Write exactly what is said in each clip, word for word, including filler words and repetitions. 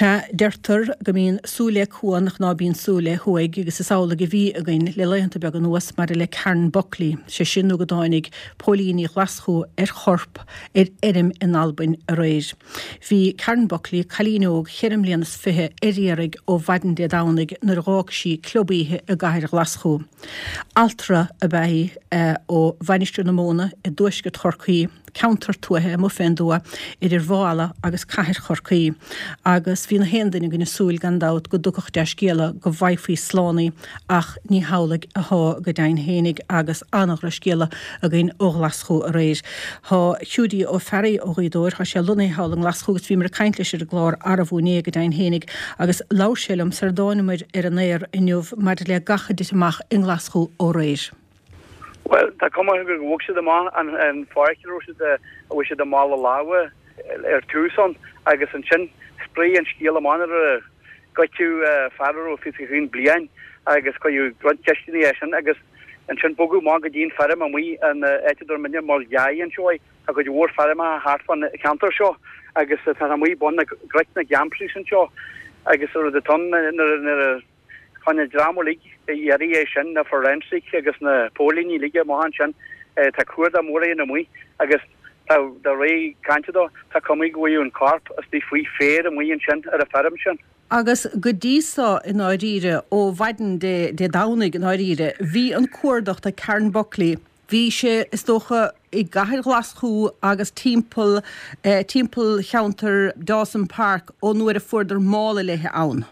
Sea, deirtear go mbíonn súil le cuan ach ná bíonn súil le huaigh agus is amhlaidh a bhí againn le laethanta beaga anuas maidir le Karen Buckley, sé sin nó go dtáinig póilíní Ghlaschú ar chorp ar fheirm in Albain aréir. Bhí Karen Buckley, cailín óg cheithre mbliana is fiche ar iarraidh ó mhaidin Dé Domhnaigh nuair a dh'fhág sí club oíche i gcathair Ghlaschú. Altra ab ea í ó Mhainistir na Móna i dtuaisceart Chorcaí, ceantar tuaithe amuigh fén dtuath idir Bhá Ealla agus cathair Chorcaí, agus bhí na haon duine againn ag súil gan dabht go dtiocfadh dea-scéala go bhfaighfí slán í, ach ní hamhlaidh athá go deimhin fhéinig agus an-dhrochscéala againn ó Ghlaschú aréir. Thá Hiúdaí Ó Fearraigh ó Ghaoth Dobhair, thá sé lonnaithe thall i nGlaschú agus bhíomar ag caint leis ar an gclár arbú inné go deimhin fhéinig agus labhair sé liom sar a dtáinamair ar an aer inniu maidir le gach a dtit amach i nGlaschú ó aréir. Bhuel, tá cuma orthu gur bhog siad amach an pháirc a raibh siad a bhfuil siad ag mála lámha ar tús ann agus ansin spréigh an scéal amach nuair a goideadh fear a raibh fiche a haon bliain agus cuireadh roinnt ceisteanna air sin agus ansin bogadh amach go dtí an feirm amuigh an áit a dtabhair muidne Maol Ghearr anseo í. Tá cuid mhór feirmeacha thart fán cheantar seo agus tá amuigh bun na gcnoic na gCampraís anseo agus rud atá ann nuair a Tháinig an dream uilig a iarraidh é sin, na forensic agus na póilíní uilig amach ansin. Tá cuardach mór á dhéanamh amuigh agus de réir cainte dó, tá cuma go bhfuil an corp istigh faoi féar amuigh ansin ar an feirm sin. Agus go dtí so i ndáiríre, ó mhaidin Dé Domhnaigh i ndáiríre, bhí an cuardach do Karen Buckley, bhí sé, is dócha, i gcathair Ghlaschú agus timpeall, timpeall cheantar Dawson Park ón uair a fuaireadar mála léi ann.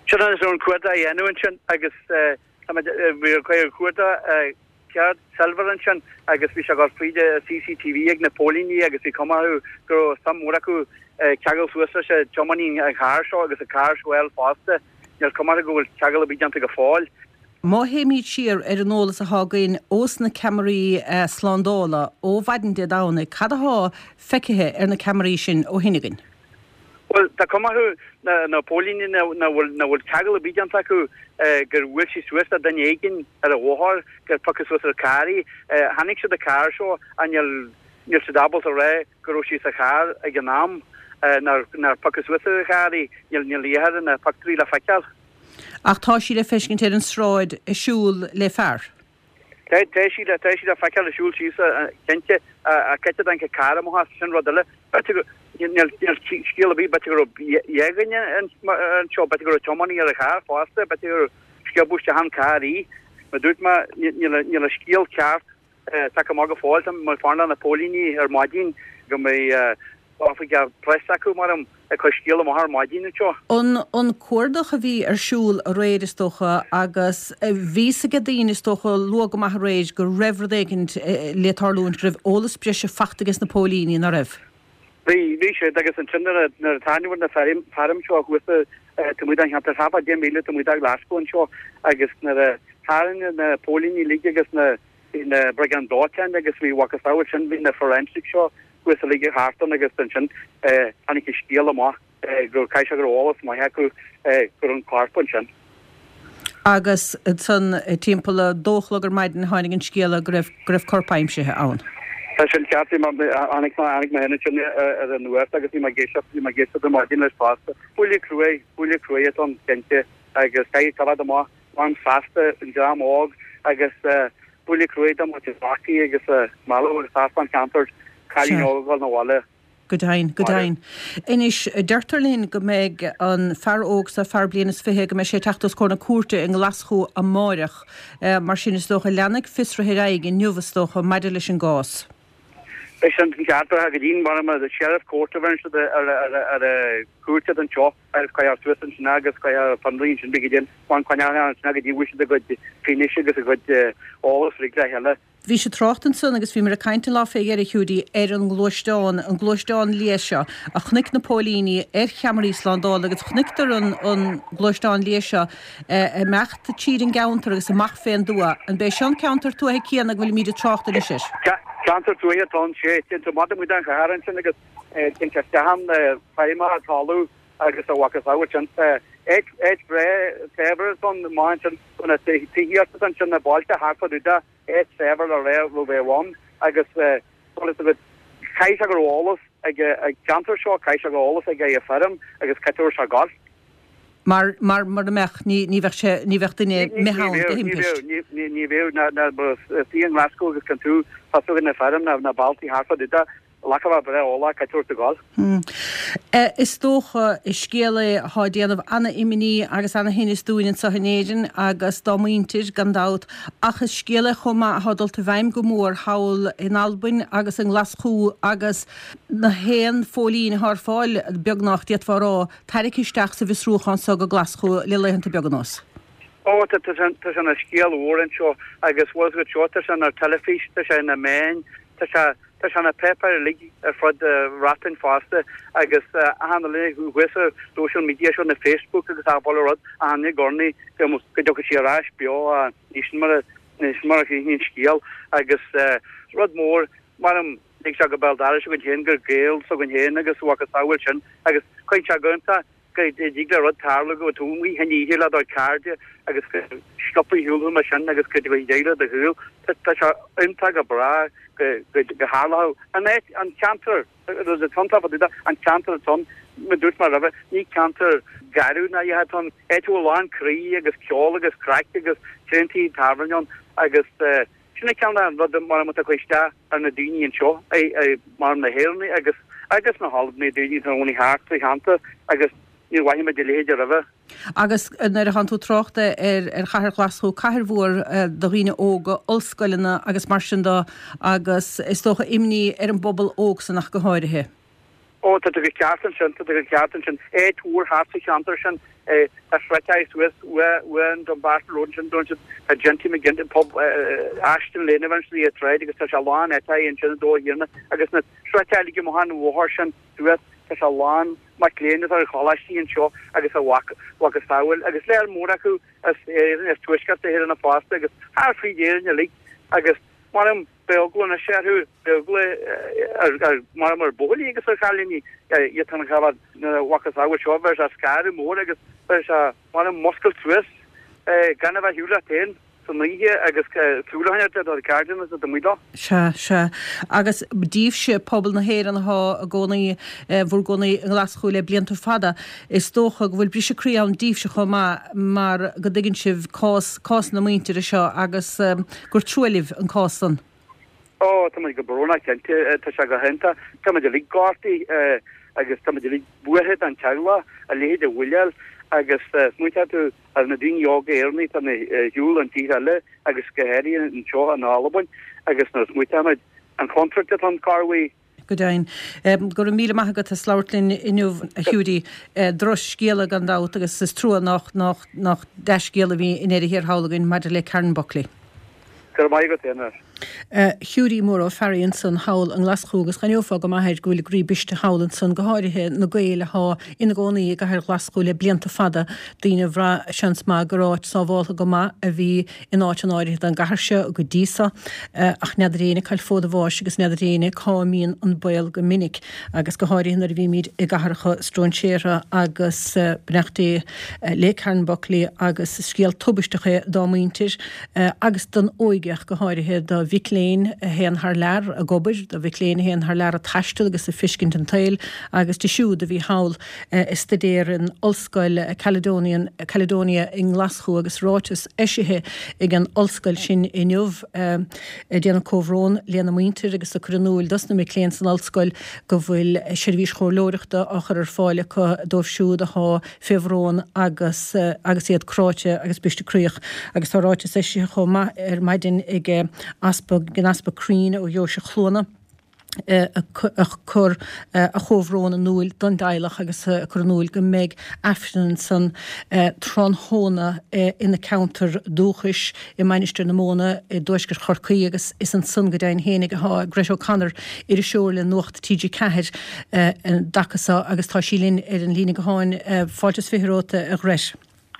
Sin é an cuardach a dhéanamh ansin agus bhí an cuardach ceart silver ansin agus bhí sé ag dul fríd CCTV ag na póilíní agus bhí cuma orthu go raibh suim mhór acu ceangal suas leis an tiománaí an charr seo agus an carr seo a fháil fosta. Níl cuma orthu go bhfuil ceangal ar bith déanta go fóill. Má théimid siar ar an eolas athá againn ós na ceamaraí slándála ó mhaidin Dé Domhnaigh, cad athá feicthe ar na ceamaraí sin ó shin againn? Bhuel, tá cuma orthu, na póilíní, nach bhfuil nach bhfuil ceangal ar bith déanta acu gur bhuail sí suas le duine éigin ar an bhóthar, gur piocadh suas ar carr í. Chonaic siad an carr seo ach níl níl siad ábalta a rá go raibh sí sa charr ag an am nár nár piocadh suas ar an charr í. Níl níl iarthar na pictiúirí le feiceáil. Ach tá sí le feiscint ar an sráid ag siúl le fear. Tá sí le tá sí le feiceáil ag siúl síos cinnte ach cá háit a dtáinig an carr amach as, sin rud eile. B'fhéidir go, níl scéal ar bith, b'fhéidir go raibh dhá dhuine anseo, b'fhéidir go raibh tiománaí ar an charr fosta, b'fhéidir gur sciobadh isteach an carr í. Mar dúirt mé, níl an scéal ceart tagtha amach go fóill. Tá mé ag fanacht le na póilíní ar maidin go mbeidh oifigeach preas acu mar am ag cur scéal amach ar maidin anseo. An an cuardach a bhí ar siúl aréir is dócha agus bhí fhios ag daoine is dócha luath go maith aréir go raibh rud éigint le tarlúint, go raibh eolas breise fachta ages na póilíní, ná raibh? Bhí, bhí siad agus ansin nuair a nuair a tarraingíodh na feirm feirm seo thuas taobh amuigh den cheantar thart fá deich míle taobh amuigh de Ghlaschú anseo agus nuair a tharraing na póilíní uilig agus na bhí na briogáid dóiteáin agus bhí mhacasamhail sin bhí na forensic seo thuas uilig thart ann agus ansin tháinig an scéal amach go caithfidh sé go raibh eolas maith acu go raibh an corp ansin. Agus ansan timpeall a dó a chlog ar maidin tháinig an scéala go raibh go raibh corp aimsithe ann. Tá sin ceart, bhí mé tháinig mé tháinig mé féin ansin ar an nuacht agus bhí mé ag éisteacht bhí mé ag éisteacht ar maidin leis fosta. Buille cruaidh, buille cruaidh atá ann cinnte agus caithfidh coimhéad amach ann feasta an dream óg agus buille cruaidh do muintir Chorcaí agus mealladh agus thart fán cheantar cailín óg ag dul 'na bhaile. Go deimhin, go deimhin. Anois, deirtear linn go mbeidh an fear óg seo, fear bliain is fiche, go mbeidh sé ag teacht os comhair na cúirte i nGlaschú amáireach. Mar sin, is dócha, leanfaidh fiosruithe ar aghaidh inniu, is dócha, maidir leis an gcás. Beidh sin ceart, go dtí mar a Sheriff Court a bheireann siad ar a cúirt anseo agus cuirfear suas ansin agus cuirfear fionraí ansin beidh go dtí an coinneáil ansin go dtí bhfuil siad a gcuid fianaise agus a gcuid eolas uilig le chéile. Bhí sé trácht ansan agus bhíomar ag caint an lá fé dheireadh, Hiúdaí, ar an ngluaisteán, an gluaisteán liath seo a chonaic na póilíní ar cheamaraí slándála agus chonaiceadar an an gluaisteán liath seo ag imeacht tríd an gceantar agus amach fén dtuath. An b'é seo an ceantar tuaithe céanna go bhfuilimíd ag trácht anois air? Ceantar tuaithe atá ann, sea. Téann tú amach amuigh den chathair ansin agus téann sé isteach ann, feirmeacha talamh agus a mhacasamhail sin. Áit áit bhreá saibhir atá ann, amach ansin, na tithíocht atá ansin, na bailte thart fá dtaobh de, áit saibhir le rá a raibh bheith ann agus caithfidh sé go raibh eolas ag an gceantar seo, caithfidh sé go bhfuil eolas aige ar an feirm agus cá raibh sé ag gabháil. Mar, mar, mura mbeadh, ní, ní bheadh sé, ní bheadh duine imithe ann de thimpist. Ní bheadh, ní, ní bheadh, ná, ná, is í i nGlaschú agus can tú, tá tú ag na feirm, na, na bealtaí thart fá dtaobh de. Ghlac a bheith breá eolach cá raibh tú ag gabháil. Is dócha, is scéal é atá ag déanamh ana-imní agus ana-thinnis dúinn anseo in Éirinn agus dá muintir, gan dabht, ach is scéal é chomh maith atá dulta i bhfeidhm go mór thall in Albain agus i nGlaschú agus na haon phóilín atá ar fáil, beagnach, d'fhéadfá a rá, tarraicthe isteach sa bhfiosrúchán so go Glaschú le laethanta beaga anuas. Ó, tá sé ina scéal mhór anseo agus bhfuil a fhios agat seo, tá sé ar teilifís, tá sé ina meáin, tá sé Tá sé na páipéir uilig ar fud Bhreatain fosta agus achan duine thuas ar social media seo na Facebook agus achan bhaile rud achan duine ag urnaí go dtiocfaidh sí ar ais beo ní sin mar a ní sin mar a chríochnaíonn an scéal agus rud mór mar lig sé go béal dorais againn féin gur Gael s'againn féin agus mhacasamhail sin agus cuireann sé go iontach go dtig le rud tarlú go bhfuil tú amuigh in oíche le do chairde agus go sciobfaí ar shiúl thú mar sin agus go dtiocfaidh deireadh le do shaol. Tá sé iontach go breá go dtarlódh an áit, an ceantar, rud atá iontach fá dtaobh de, an ceantar atá ann, mar a dúirt mé roimhe, ní ceantar garbh ná a dhath atá ann, áit a bhfuil a lán croí agus ceol agus craic agus tréan tithe tábhairne ann agus sin é ceann de na rudaí mar atá ag cur isteach ar na daoine anseo, mar na hÉireannaigh agus agus na hAlbanaigh, daoine atá ina gcónaí thart sa cheantar agus níor mhothaigh muid a leithéid roimhe. Agus nuair atánn tú ag trácht ar ar chathair Ghlaschú, cathair mhór do dhaoine óga, ollscoileanna agus mar sin de agus is dócha imní ar an bpobal óg san ach go háirithe. Ó, tá tú go ceart ansin, tá tú go ceart ansin. Áit mhór thart sa cheantar sin, tá sroicheadh suas uaidh an Dumbarton Road ansin, dúirt siad, tá Ginty McGinty, pub Ashton Lane a bhean sí ag troid agus tá sé lán áiteacha ansin i dTóir Thiarna agus na sroicheadh uilig amach an bhóthar sin suas, tá sé lán mac léinn atá ar choláistí anseo agus a mhacasamhail agus léar mór acu as Éirinn, as Tuaisceart na hÉireann fosta agus thar fríd Éirinn uilig agus mar beidh eagla anois orthu, beidh eagla ar mar ar bhuachaillí agus ar chailíní iad an chabhair nuair a mhacasamhail seo, bheadh sé scaradh mór agus bheadh sé mar muscailt suas gan a bheith ar shiúl leat féin san oíche agus súil a choinneáil ar do chairde agus do mhuintir. Sea, sea. Agus díbhse, pobal na hÉireann atá i gcónaí, bhur gcónaí i nGlaschú le blianta fada, is dócha go bhfuil briseadh croí ann díbhse chomh maith mar go dtuigeann sibh cás, cás na muintire seo agus gur trua libh an cás san. Ó, tá muid go brónach cinnte, tá sé go hiontach. Tá muid uilig gortaithe agus tá muid uilig buartha don teaghlach, a leithéid a bhualáil agus smaointeoidh tú ar na daoine óga Éireannaigh atá ar shiúl an tír eile agus go háirithe anseo in Albain agus nuair a smaointeoidh muid an chontúirt atá ann corruair. Go deimhin. Go raibh míle maith agat as labhairt linn inniu, a Hiúdaí. Drochscéala gan dabht agus is trua nach nach nach dea-scéal a bhí i ndeireadh thiar thall againn maidir le Karen Buckley. Go raibh maith agat féin as. Hiúdaí Mór Ó Fearraigh ansan thall i nGlaschú agus d'aithneofá go maith air go bhfuil a gcroí briste thall ansan, go háirithe na Gaeil athá ina gcónaí i gcathair Ghlaschú le blianta fada, daoine a bhraith seans maith gur áit sábháltha go maith a bhí in áit an áirithe den gcathair seo go dtí so. Ach n'fheadar éinne cá bhfuil fód a bháis agus n'fheadar éinne cá mbíonn an baol go minic agus go háirithe nuair a bhímid i gcathracha stróinséartha agus beannacht Dé le Karen Buckley agus is scéal tubaisteach é dá muintir agus don óige ach go háirithe do mhic léinn a théann thar lear ag obair, do mhic léinn a théann thar lear ag taisteal agus ag feiscint an tsaoil agus di siúd a bhí thall ag staidéar in Ollscoil Caledonian, Caledonia i nGlaschú agus ráiteas eisithe ag an ollscoil sin inniu ag déanamh comhbhrón lena muintir agus ag cur in iúil dos na mic léinn san ollscoil go bhfuil seirbhís chomhairleoireachta á chur ar fáil acu dóibh siúd athá fé bhrón agus agus iad cráite agus briste croíoch. Agus tá ráiteas eisithe chomh maith ar maidin ag Easpag ag an Easpag Crean ó Dheoise Chluana ag cur a chomhbhrón in iúil don dteaghlach agus ag cur in iúil go mbeidh Aifreann ansan tráthnóna ina ceantar dúchais i Mainistir na Móna i dtuaisceart Chorcaí agus is ansan go deimhin fhéinig athá Grett O'Connor, iriseoir le Nuacht T G ceathair an dtaca so agus tá sí linn ar an líne gutháin. Fáilte is fiche romhat a Ghrett.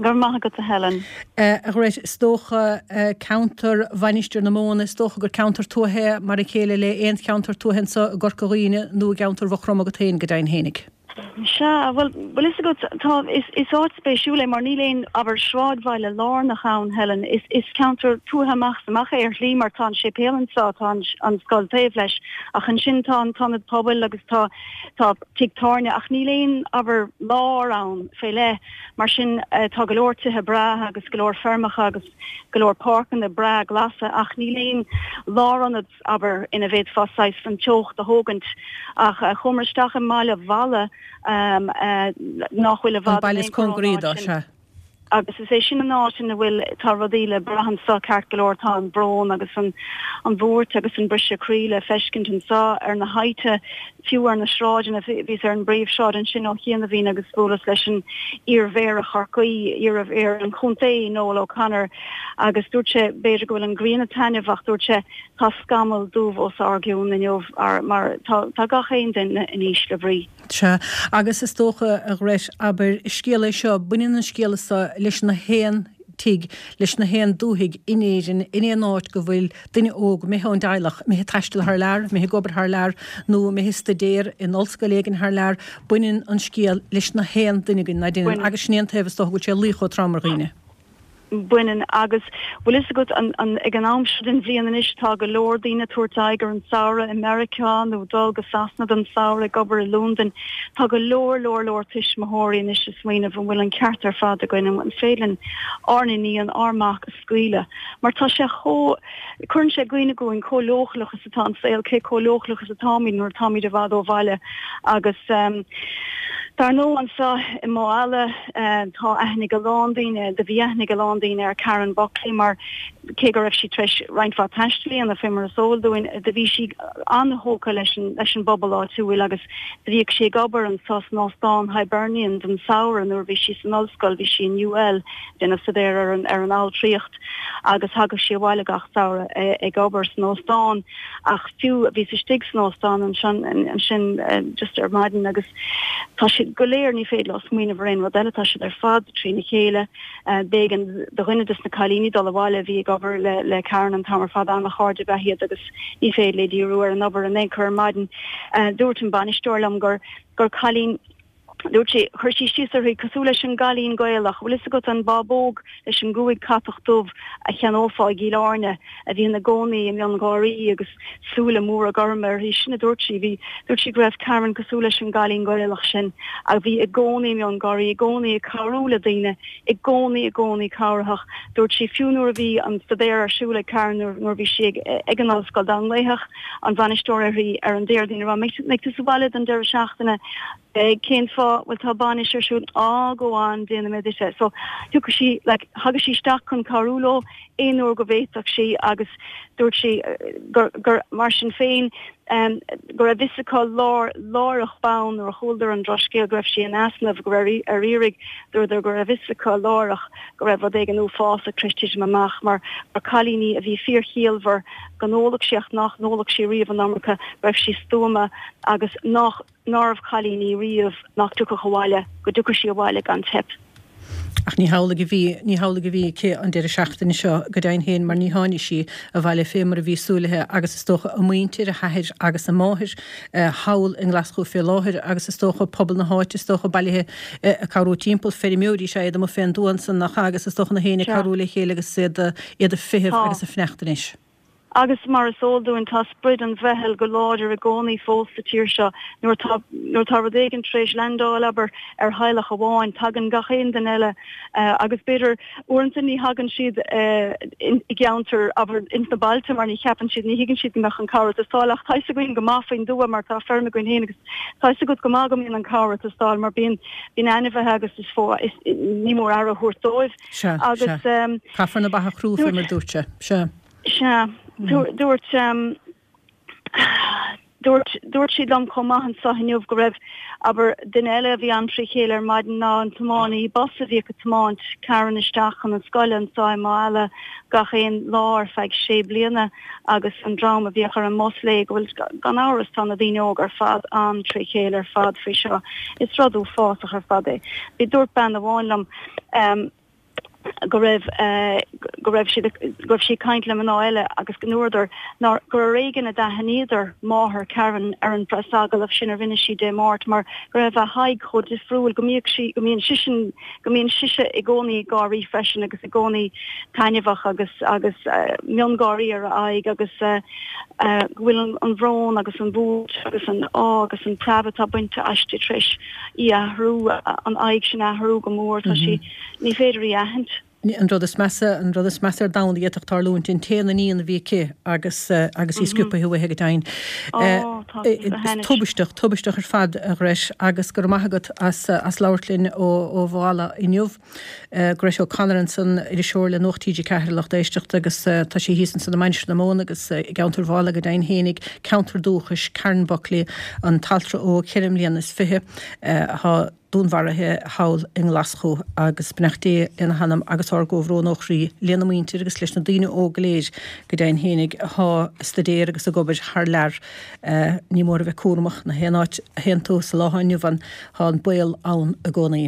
Go raibh maith agat a Helen. A Ghrett, is dócha ceantar Mhainistir na Móna, is dócha gur ceantar tuaithe é mar a chéile le aon cheantar tuaithe anseo i gCorca Dhuibhne nó i gceantar Mhaigh Chromtha agat féin go deimhin fhéinig. Sea, bhuel, bhfuil fhios agat, tá, is, is áit spéisiúil é mar níl aon, abair, sráidbhaile lárnach ann, Helen. Is, is ceantar tuaithe amach is amach é ar shlí mar tá an séipéal anseo, tá an, an scoil taobh leis, ach ansin tá an t-ionad pobail agus tá, tá tigh tábhairne ach níl aon, abair, lár ann fé leith. Mar sin, tá go leor tithe breátha agus go leor feirmeacha agus go leor páirceanna breá glasa ach níl aon lárionad, abair, ina bhféadfá saghas an teocht a thógaint. Ach chuamar isteach i mbaile Mhala nach bhfuil i An bhfad in baile is aon chor ón cóngaraí áit dó, sin. sea. Agus is é sin an áit ina bhfuil, tá rudaí le brath anso ceart go leor, tá an brón agus an an bhuairt agus an briseadh croí le feiscint anso ar na tithe, fiú ar na sráideanna. Bhíos ar an bpríomhshráid ansin ó chianaibhín agus bhuaileas leis an iar-mhéara Chorcaí, iar-mhéara an chontae, Noel O'Connor, agus dúirt sé, b'fhéidir go bhfuil an ghrian ag taitneamh ach dúirt sé, tá scamall dubh os ár gcionn inniu mar tá tá gach aon duine in ísle brí. Sea, agus is dócha, a Ghrett, abair, is scéal é seo, baineann an scéal seo leis na haon tigh, leis na haon dúthaigh in Éirinn, in aon áit go bhfuil duine óg imithe ón dteaghlach, imithe ag taisteal thar lear, imithe ag obair thar lear, nó imithe ag staidéar in ollscoil éigin thar lear, baineann an scéal leis na haon duine againn, ná deineann, agus sin é an taobh is dócha go bhfuil sé ag luí chomh trom ar dhaoine. Baineann, agus bhfuil fhios agat, an, an, ag an am seo den bhliain anois tá go leor daoine ag tabhairt aghaidh ar an samhradh i Meiriceá nó dul go Sasana don samhradh ag obair i Londain. Tá go leor, leor, leor tuismitheoirí anois ag smaoineamh an bhfuil an ceart ar fad againn, an féidir linn ár n-iníon, ár mac a scaoileadh mar tá sé chomh, cuireann sé i gcuimhne dhúinn chomh leochaileach is atá an saol, cé chomh leochaileach is atáimid nuair atáimid i bhfad ó bhaile agus dar ndóigh anseo i Maigh Eala tá aithne ag a lán daoine, do bhí aithne ag a lán daoine ar Karen Buckley mar cé go raibh sí tar éis roinnt mhaith taistil a dhéanamh fé mar is eol dúinn, do bhí sí an-thógtha leis an leis an bpobal áitiúil agus do bhíodh sí ag obair anseo san Óstán Hibernian don samhradh nuair a bhí sí san ollscoil, bhí sí in UL ag déanamh staidéir ar an ar an altraíocht agus thagadh sí abhaile gach samhradh ag obair san óstán ach fiú bhíos istigh san óstán ansin ansin just ar maidin agus tá siad go léir ní féidir leo smaoineamh ar aon rud eile, tá siad ar fad trína chéile. B'éigean do dhuine des na cailíní dul abhaile a bhí ag obair le le Karen an t-am ar fad, an-chairde ab ea iad agus ní féidir léi díriú ar an obair in aon chor ar maidin. Dúirt an bainisteoir liom gur gur cailín Dúirt sí, chuir sí síos uirthi cosúil leis an gcailín Gaelach, bhfuil fhios agat an bábóg leis an gcúig catach dubh a cheannófá i gCill Airne, a bhíonn i gcónaí i miongháirí agus súile móra gorma uirthi. Sin a dúirt sí. Bhí, dúirt sí go raibh Karen cosúil leis an gcailín Gaelach sin a bhí i gcónaí i miongháirí, i gcónaí ag cabhrú le daoine, i gcónaí, i gcónaí cabhraitheach. Dúirt sí fiú nuair a bhí an staidéar ar siúl ag Karen, nuair, nuair a bhí sí ag, ag an ollscoil, dá nglaofadh an bhainisteoir uirthi ar an Déardaoin a rá, mbeidh tú sa bhaile don deireadh seachtaine? Beidh, cén fáth? Bhuel tá bainis ar siúl. Á, go on, déanfaidh mé duit é. So, thiocfadh sí, like, thagadh sí isteach chun cabhrú leo aon uair go bhféadfadh sí agus dúirt sí gur, gur, mar sin féin, um, go raibh fhios acu lár, láithreach bonn nuair a chualadar an drochscéal go raibh sí in easnamh, go raibh ar iarraidh, dúradar go raibh fhios acu láithreach go raibh rud éigin uafásach tar éis titim amach mar gur cailín í a bhí fíorchiallmhar, go n-ólfadh sí ach nach n-ólfadh sí riamh an iomarca, go raibh sí stuama agus nach. nárbh chailín í riamh nach dtiocfadh abhaile, go dtiocfadh sí abhaile gan teip. Ach ní hamhlaidh a bhí, ní hamhlaidh a bhí aici an deireadh seachtaine seo, go deimhin féin, mar ní tháinig sí abhaile fé mar a bhí súil aici agus is dócha a muintir, a hathair agus a máthair thall i nGlaschú fé láthair agus is dócha pobal na háite, is dócha, bailithe ag cabhrú timpeall, feirmeoirí is ea iad amuigh fén dtuath ansan, nach ea, agus is dócha na héinne ag cabhrú le chéile agus iad, iad ag feitheamh agus ag fanacht anois. Agus mar is eol dúinn, tá sprid an mheitheal go láidir i gcónaí fós sa tír seo. Nuair atá nuair atá rud éigin tar éis leaindeáil, abair, ar theaghlach amháin, tagann gach aon duine eile agus b'fhéidir uaireanta ní thagann siad i gceantar, abair, ins na bailte mar ní cheapann siad, ní thuigeann siad go mbeadh an cabhair ag teastáil. Ach tá fhios againn go maith faoin dtuath mar tá feirm againn féin agus tá fhios agat go maith go mbíonn an cabhair ag teastáil mar bíonn bíonn ainmhithe agus is is ní mór aire a thabhairt dóibh. Sea, sea. Caithfear na ba a chrú fé mar a dúirt sé. Sea. Sea. Dúirt, dúirt, dúirt siad liom chomh maith anseo inniu go raibh, abair, duine eile a bhí an-trí chéile ar maidin ná an tiománaí bus a bhíodh ag tiomáint Karen isteach chun an scoile anseo i Maigh Eala gach aon lá ar feadh sé bliana agus an dream a bhíodh ar an mbus léi go bhfuil, gan amhras, tá na daoine óga ar fad an-trí chéile ar fad faoi seo. Is rud uafásach ar fad é. Bhí, dúirt bean amháin liom, go raibh go raibh sí go raibh sí ag caint le mná eile agus go ndúradar nár gur ar éigean a d'aithníodar máthair Karen ar an preasagallamh sin a rinne sí Dé Máirt mar go raibh a haghaidh chomh difriúil go mbíodh sí go mbíonn sisean go mbíonn sise i gcónaí ag gáirí freisin agus i gcónaí taitneamhach agus agus miongháirí ar a aghaidh agus go bhfuil an an bhrón agus an bhuairt agus an ádh agus an preab atá bainte aisti tar éis í athrú an aghaidh sin athrú go mór tá sí ní féidir í aithint. An rud is measa an rud is measa ar domhan a d'fhéadfadh tarlúint an t-aon iníon a bhí aici agus agus í sciobtha uaithi go deimhin. Tubaisteach, tubaisteach ar fad a Ghret agus go raibh maith agat as as labhairt linn ó ó Bhalla inniu. Grett O'Connor ansan iriseoir le Nuacht TG Ceathair a lucht éisteachta agus tá sí thíos ansan i Mainistir na Móna agus i gceantar Bhalla go deimhin fhéinig, ceantar dúchais Karen Buckley, an t-altra óg ceithre mbliana is fiche atá dúnmharaithe thall i nGlaschú agus beannacht Dé lena hanam agus ár gcomhbhrón ó chroí lena muintir agus leis na daoine óga go léir go deimhin fhéinig atá ag staidéar agus ag obair thar lear. Ní mór a bheith cúramach na haon áit a théann tú sa lá atá inniu ann, tá an baol ann i gcónaí.